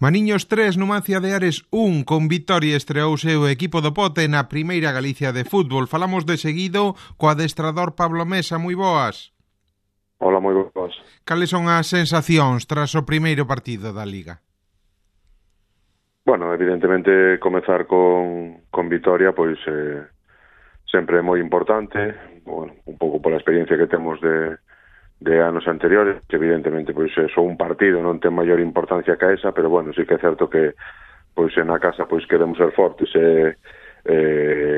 Maniños 3, Numancia de Ares 1, con vitoria estreouse o equipo do Pote na Primeira Galicia de fútbol. Falamos de seguido co adestrador Pablo Mesa, moi boas. Hola, moi boas. Cales son as sensacións tras o primeiro partido da Liga? Bueno, evidentemente comezar con vitoria, pois sempre é moi importante, bueno, un pouco pola experiencia que temos de anos anteriores, que evidentemente pois só un partido non ten maior importancia que esa, pero bueno, sí que é certo que pois na casa pois queremos ser fortes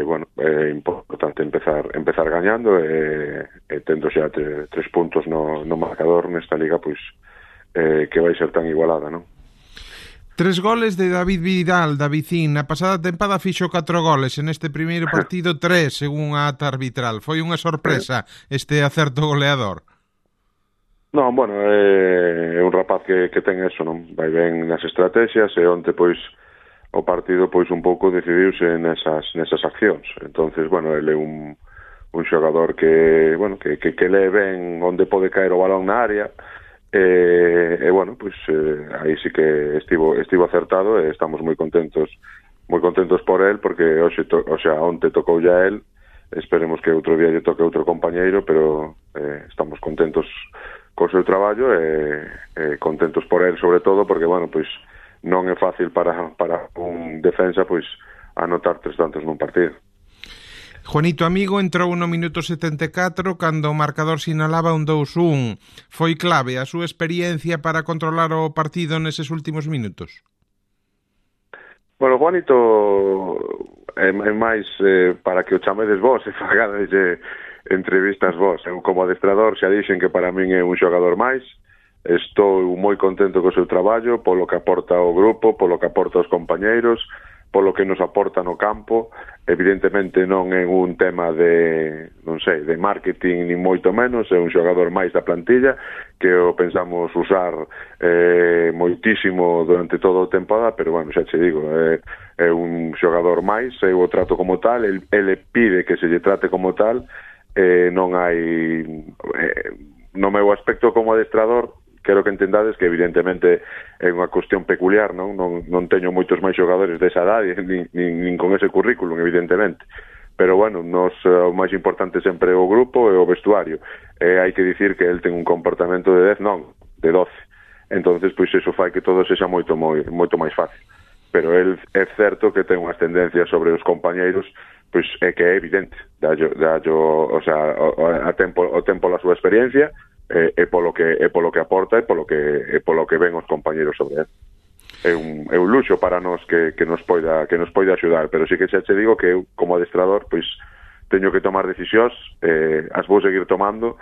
bueno, é importante empezar gañando e tendo xa 3 puntos no marcador nesta liga, pois que vai ser tan igualada, non? 3 goles de David Vidal, da Vicín. Na pasada tempada fixo 4 goles. En este primeiro partido 3, según a ata arbitral. Foi unha sorpresa este acerto goleador. Non, bueno, é un rapaz que ten eso, non? Vai ben nas estrategias e onte, pois, o partido, pois, un pouco decidiuse nesas accións. Entonces, bueno, ele é un xogador que, bueno, que lee ben onde pode caer o balón na área e bueno, pois, aí sí que estivo acertado e estamos moi contentos por el, porque onte tocou ya el, esperemos que outro día lle toque outro compañeiro, pero estamos contentos co seu traballo e contentos por el, sobre todo, porque, bueno, pois non é fácil para un defensa, pois, anotar 3 tantos nun partido. Juanito Amigo entrou no minuto 74 cando o marcador sinalaba un 2-1. Foi clave a súa experiencia para controlar o partido neses últimos minutos? Bueno, Juanito é máis para que o chamedes vos e fagades entrevistas vos. Eu como adestrador xa dixen que para min é un xogador máis. Estou moi contento co seu traballo, polo que aporta ao grupo, polo que aporta aos compañeiros, polo que nos aporta no campo. Evidentemente non é un tema de marketing, ni moito menos, é un xogador máis da plantilla que o pensamos usar moitísimo durante toda a temporada, pero bueno, xa che digo, é un xogador máis, eu o trato como tal, ele pide que se lle trate como tal, non hai no meu aspecto como adestrador. Quero que entendades que evidentemente é unha cuestión peculiar, non teño moitos máis xogadores desa idade, nin con ese currículum, evidentemente. Pero bueno, o máis importante sempre é o grupo e o vestuario. Hai que dicir que el ten un comportamento de 10, non, de 12. Entonces, pois iso fai que todo sexa moito máis fácil. Pero el é certo que ten unhas tendencias sobre os compañeiros, pois é que é evidente. O tempo a súa experiencia, e polo que aporta e polo que ven os compañeros sobre él. É un luxo para nós que nos poida axudar, pero sí que xa te digo que eu como adestrador pois teño que tomar decisións, as vou seguir tomando,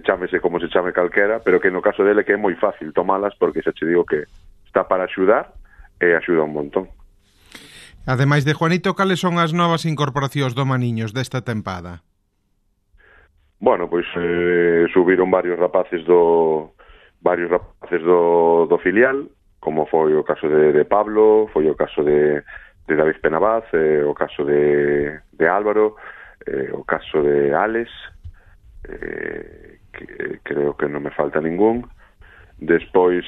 chámese como se chame calquera, pero que no caso dele que é moi fácil tomalas, porque xa te digo que está para axudar e axuda un montón. Ademais de Juanito, cales son as novas incorporacións do Maniños desta tempada? Bueno, pois subiron varios rapaces do filial, como foi o caso de Pablo, foi o caso de David Penabaz, o caso de Álvaro, o caso de Alex, que creo que non me falta ningún. Despois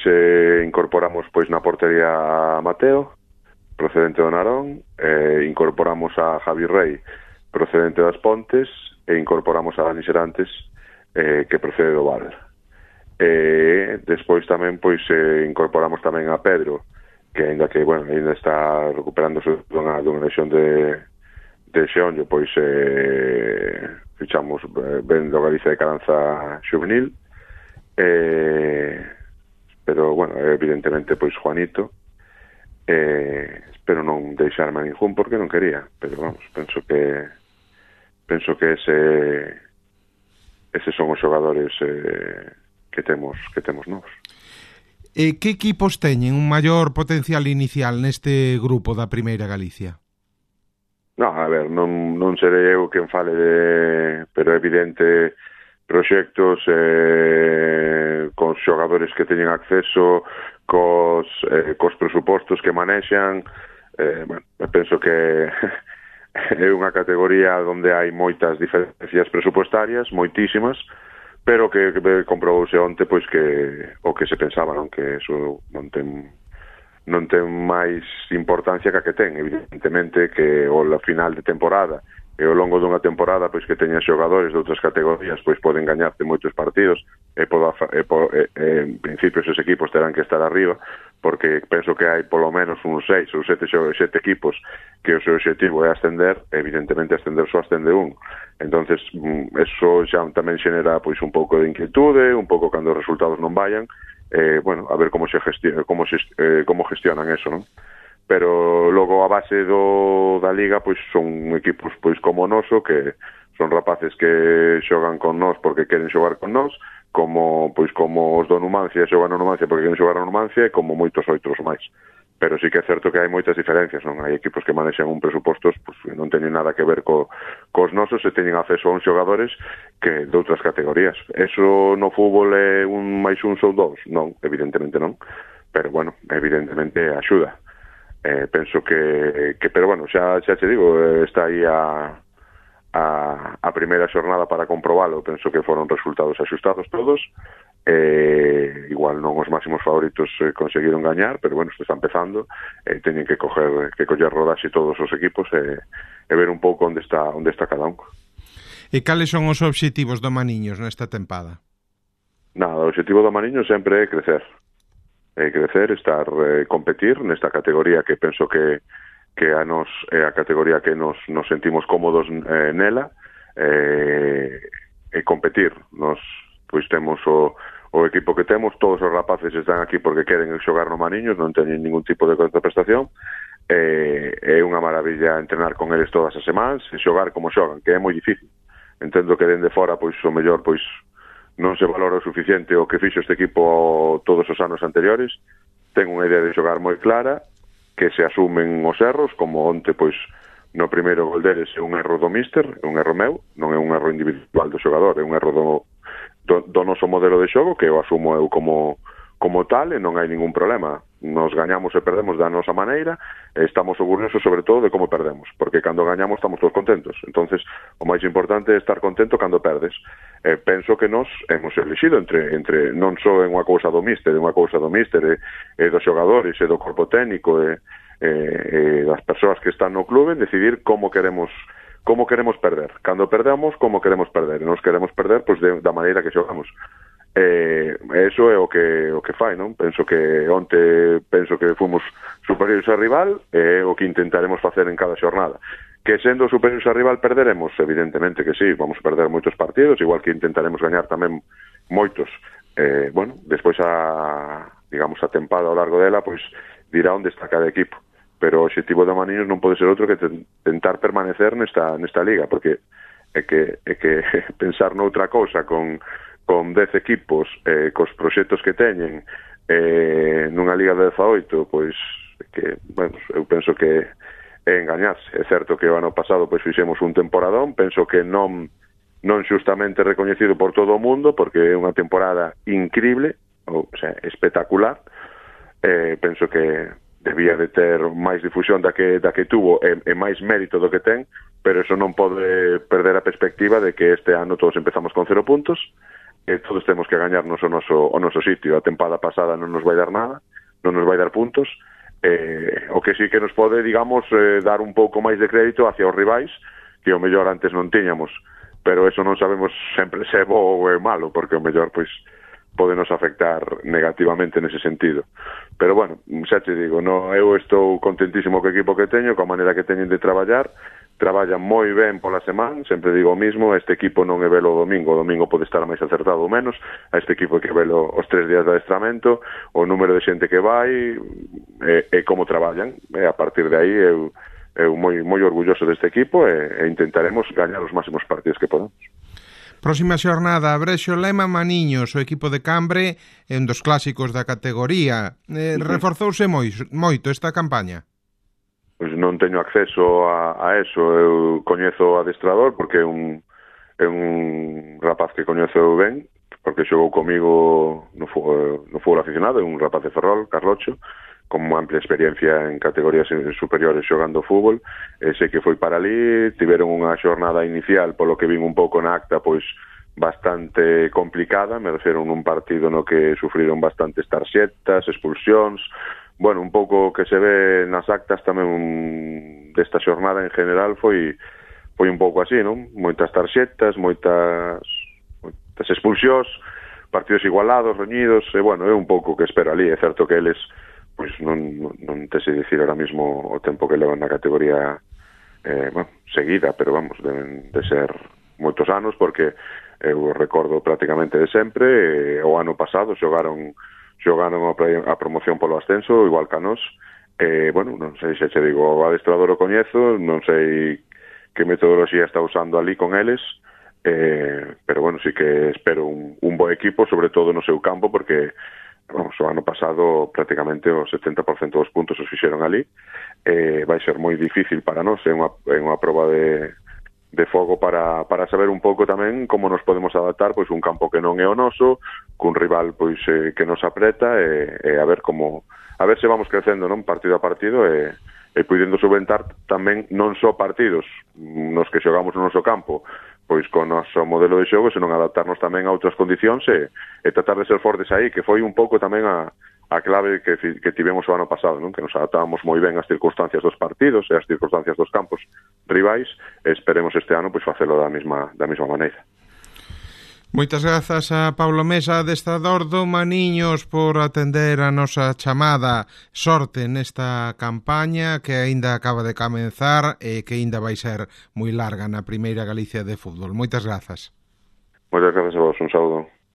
incorporamos pois na portería a Mateo, procedente do Narón, incorporamos a Javi Rey, procedente das Pontes, e incorporamos a Dani Serantes, que procede do Val. Despois tamén pois incorporamos tamén a Pedro, que ainda está recuperándose dunha lesión de xeonllo, pois fichamos ben do Galicia de Caranza Xuvenil, pero bueno, evidentemente pois Juanito, espero non deixarme a ningún porque non quería, pero vamos, penso que eses son os xogadores que temos novos. Que equipos teñen un maior potencial inicial neste grupo da Primeira Galicia? Non, a ver, non serei eu quen fale pero é evidente proxectos con xogadores que teñen acceso, cos presupostos que manexan, penso que é unha categoría onde hai moitas diferencias presupuestarias, moitísimas, pero que comprobouse onte pois que o que se pensaba, non, que eso non ten non ten máis importancia que a que ten, evidentemente que o final de temporada e ao longo dunha temporada pois que teñan xogadores de outras categorías pois poden gañarte moitos partidos en principio esos equipos terán que estar arriba, porque penso que hai polo menos uns 6 ou 7 equipos que o seu objetivo é ascender, evidentemente ascender só ascende un. Entonces eso xa tamén xenera pois un pouco de inquietude, un pouco cando os resultados non vayan, bueno, a ver como gestionan eso, non? Pero logo a base da Liga pois son equipos pois como o noso, que son rapaces que xogan con nós porque queren xogar con nós, como os do Numancia xogan no Numancia porque queren xogar no Numancia, e como moitos outros máis. Pero sí que é certo que hai moitas diferencias, non? Hai equipos que manexan un presupostos pois, non teñen nada que ver cos nosos, e teñen acceso a uns xogadores que de outras categorías. Eso no fútbol é un máis un ou dous? Non, evidentemente non. Pero, bueno, evidentemente axuda. Penso que pero, bueno, xa te digo, está aí a primeira xornada para comprobalo. Penso que foron resultados axustados todos. Igual non os máximos favoritos conseguiron gañar, pero bueno, isto está empezando, teñen que coller rodaxe todos os equipos e ver un pouco onde está cada un. E cales son os obxectivos do Maniños nesta tempada? Nada, o obxectivo do Maniños sempre é crecer, competir nesta categoría que penso que a nos é a categoría que nos sentimos cómodos nela, e competir. Nos pois temos o equipo que temos, todos os rapaces están aquí porque queren xogar no Maniños, non teñen ningún tipo de contraprestación, é unha maravilla entrenar con eles todas as semanas e xogar como xogan, que é moi difícil. Entendo que dende fora pois o mellor pois non se valora o suficiente o que fixo este equipo todos os anos anteriores. Ten unha idea de xogar moi clara, que se asumen os erros, como onte pois no primeiro gol deles é un erro do míster, é un erro meu, non é un erro individual do xogador, é un erro do noso modelo de xogo, que eu asumo eu como tal, e non hai ningún problema. Nos gañamos e perdemos da nosa maneira, e estamos orgullosos sobre todo de como perdemos, porque cando gañamos estamos todos contentos. Entonces o máis importante é estar contento cando perdes. Penso que nos hemos elixido entre non só é unha cousa do míster, e dos xogadores, e do corpo técnico, e das persoas que están no clube, decidir como queremos perder. Cando perdemos, como queremos perder. E nos queremos perder pois da maneira que xogamos. Eso é o que fai, non? Penso que fomos superiores ao rival, e o que intentaremos facer en cada xornada. Que sendo superiores ao rival perderemos, evidentemente que sí, vamos a perder moitos partidos, igual que intentaremos gañar tamén moitos. Bueno, despois a tempada ao largo dela, pois dirá onde está cada equipo. Pero o obxectivo do Maniños non pode ser outro que tentar permanecer nesta liga, porque é que pensar noutra cousa con 10 equipos, cos proxectos que teñen, nunha liga de 18, pois que, bueno, eu penso que é engañarse. É certo que o ano pasado pois fixemos un temporadón, penso que non xustamente recoñecido por todo o mundo, porque é unha temporada increíble, o sea, espectacular. Penso que debía de ter máis difusión da que tuvo, e máis mérito do que ten, pero eso non pode perder a perspectiva de que este ano todos empezamos con 0 puntos, e todos temos que gañarnos o noso sitio. A tempada pasada non nos vai dar nada, non nos vai dar puntos, o que sí que nos pode, digamos, dar un pouco máis de crédito hacia os rivais, que o mellor antes non tiñamos, pero eso non sabemos sempre se é bo ou é malo, porque o mellor pois pode nos afectar negativamente nese sentido. Pero bueno, xa te digo, eu estou contentísimo co equipo que teño, coa maneira que teñen de traballan moi ben pola semana, sempre digo o mismo, este equipo non é velo o domingo pode estar máis acertado ou menos, a este equipo hai que velo os 3 días de adestramento, o número de xente que vai, e como traballan, e a partir de aí eu moi orgulloso deste equipo, e intentaremos gañar os máximos partidos que podemos. Próxima xornada, Brexo Lema Maniños, o equipo de Cambre é un dos clásicos da categoría. Reforzouse moito esta campaña? Pois non teño acceso a eso. Eu coñezo o adestrador porque é un rapaz que coñezo ben, porque xogou comigo no fútbol aficionado, é un rapaz de Ferrol, Carlocho, con amplia experiencia en categorías superiores xogando fútbol, sei que foi para ali, tiveron unha xornada inicial, polo que vin un pouco na acta, pois bastante complicada, me refiero nun partido no que sufriron bastantes tarxetas, expulsións, bueno, un pouco que se ve nas actas tamén desta xornada en general foi un pouco así, non? Moitas tarxetas, moitas expulsións, partidos igualados, reñidos, e bueno, é un pouco que espera ali. É certo que eles pois non te sei dicir ahora mismo o tempo que levan na categoría bueno, seguida, pero vamos, deben de ser moitos anos, porque eu recordo prácticamente de sempre. O ano pasado xogaron a promoción polo ascenso, igual que a nós. Bueno, non sei se che digo, o adestrador o coñezo, non sei que metodoloxía está usando ali con eles, pero bueno, sí que espero un bo equipo, sobre todo no seu campo, porque vamos, o ano pasado prácticamente o 70% dos puntos os fixeron ali. Vai ser moi difícil para nós, é unha proba de fogo para saber un pouco tamén como nos podemos adaptar, pois un campo que non é o noso, cun rival pois que nos apreta, e a ver se vamos crecendo, non, partido a partido, e puidendo solventar tamén non só partidos nos que xogamos no noso campo, pois con o noso modelo de xogo, senón adaptarnos tamén a outras condicións e tratar de ser fortes aí, que foi un pouco tamén a clave que tivemos o ano pasado, non? Que nos adaptábamos moi ben ás circunstancias dos partidos e ás circunstancias dos campos rivais, e esperemos este ano pois facelo da mesma maneira. Moitas grazas a Pablo Mesa, adestrador do Maniños, por atender a nosa chamada. Sorte nesta campaña que aínda acaba de comenzar e que aínda vai ser moi larga na Primeira Galicia de fútbol. Moitas grazas. Moitas grazas a vos, un saúdo.